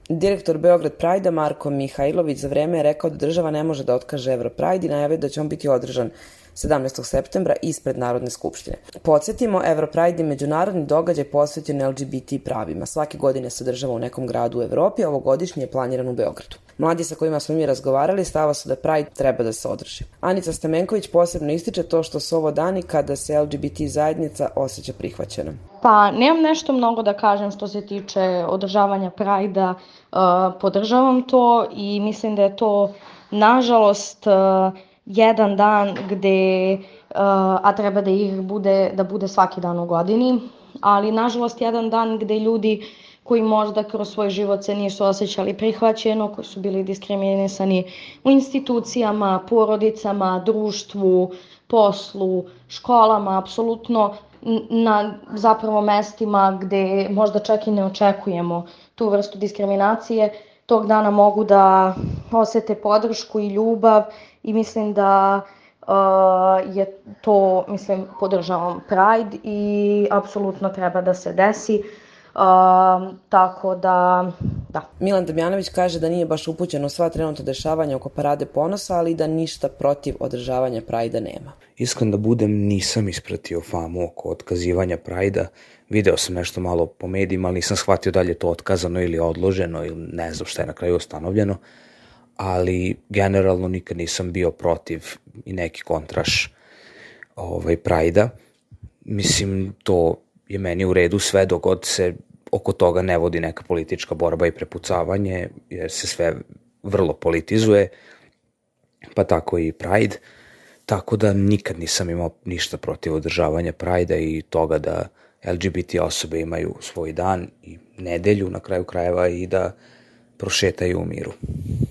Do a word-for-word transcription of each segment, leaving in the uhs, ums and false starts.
Direktor Beograd Pride-a Marko Mihajlović za vreme je rekao da država ne može da otkaže Europride i najavio da će on biti održan sedamnaestog septembra ispred Narodne skupštine. Podsjetimo, Europride je međunarodni događaj posvećen L G B T pravima. Svake godine se održava u nekom gradu u Evropi, a ovogodišnji je planiran u Beogradu. Mladi sa kojima smo mi razgovarali stava su da Pride treba da se održi. Anica Stamenković posebno ističe to što su ovo dani kada se L G B T zajednica osjeća prihvaćena. Pa nemam nešto mnogo da kažem što se tiče održavanja Pride-a. Uh, podržavam to i mislim da je to nažalost uh, jedan dan gde, uh, a treba da ih bude, da bude svaki dan u godini, ali nažalost jedan dan gde ljudi koji možda kroz svoj život se nisu osjećali prihvaćeno, koji su bili diskriminisani u institucijama, porodicama, društvu, poslu, školama, apsolutno na zapravo mestima gde možda čak i ne očekujemo tu vrstu diskriminacije, tog dana mogu da osete podršku i ljubav i mislim da uh, je to, mislim, podržavam Pride i apsolutno treba da se desi. Uh, tako da, da. Milan Damjanović kaže da nije baš upućen u sva trenutno dešavanja oko Parade ponosa, ali da ništa protiv održavanja Pride-a nema. Iskren da budem, nisam ispratio famu oko otkazivanja Pride-a. Video sam nešto malo po medijima, ali nisam shvatio da li je to otkazano ili odloženo ili ne znam šta je na kraju ustanovljeno. Ali generalno nikad nisam bio protiv i neki kontraš ovaj, Pride-a. Mislim, to je meni u redu sve dok god se oko toga ne vodi neka politička borba i prepucavanje, jer se sve vrlo politizuje, pa tako i Pride. Tako da nikad nisam imao ništa protiv održavanja Pride-a i toga da L G B T osobe imaju svoj dan i nedelju na kraju krajeva i da prošetaju u miru.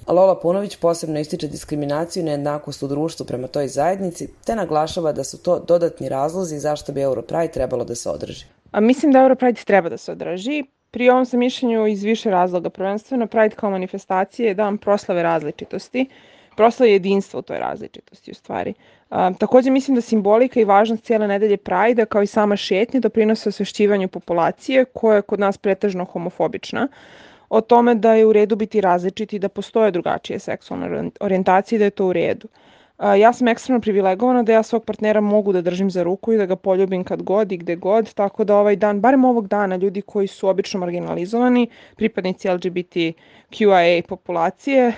Lola Punović posebno ističe diskriminaciju i nejednakost u društvu prema toj zajednici, te naglašava da su to dodatni razlozi zašto bi Europride trebalo da se održi. A mislim da Europride treba da se održi. Pri ovom sam mišljenju iz više razloga. Prvenstveno, Pride kao manifestacije je dan proslave različitosti, proslave jedinstva u toj različitosti u stvari. A, takođe mislim da simbolika i važnost cijele nedelje Pride-a kao i sama šetnja doprinose osvešćivanju populacije koja je kod nas pretežno homofobična, o tome da je u redu biti različiti i da postoje drugačije seksualne orijentacije i da je to u redu. Ja sam ekstremno privilegovana da ja svog partnera mogu da držim za ruku i da ga poljubim kad god i gde god, tako da ovaj dan, barem ovog dana, ljudi koji su obično marginalizovani, pripadnici L G B T Q I A populacije,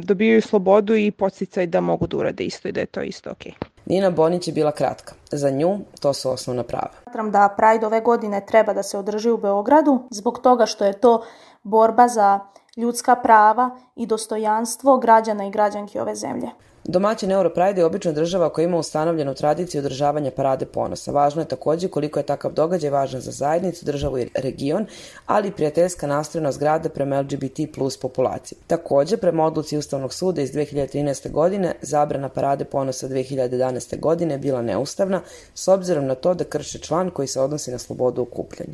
dobijaju slobodu i podsticaj da mogu da urade isto i da je to isto okej. Nina Bonić je bila kratka. Za nju to su osnovna prava. Smatram da Pride ove godine treba da se održi u Beogradu zbog toga što je to borba za ljudska prava i dostojanstvo građana i građanki ove zemlje. Domaćin Europride je obično država koja ima ustanovljenu tradiciju održavanja Parade ponosa. Važno je takođe koliko je takav događaj važan za zajednicu, državu i region, ali i prijateljska nastrojenost grada prema L G B T plus populaciji. Takođe, prema odluci Ustavnog suda iz dve hiljade trinaeste. godine, zabrana Parade ponosa dve hiljade jedanaeste. godine je bila neustavna, s obzirom na to da krši član koji se odnosi na slobodu okupljanja.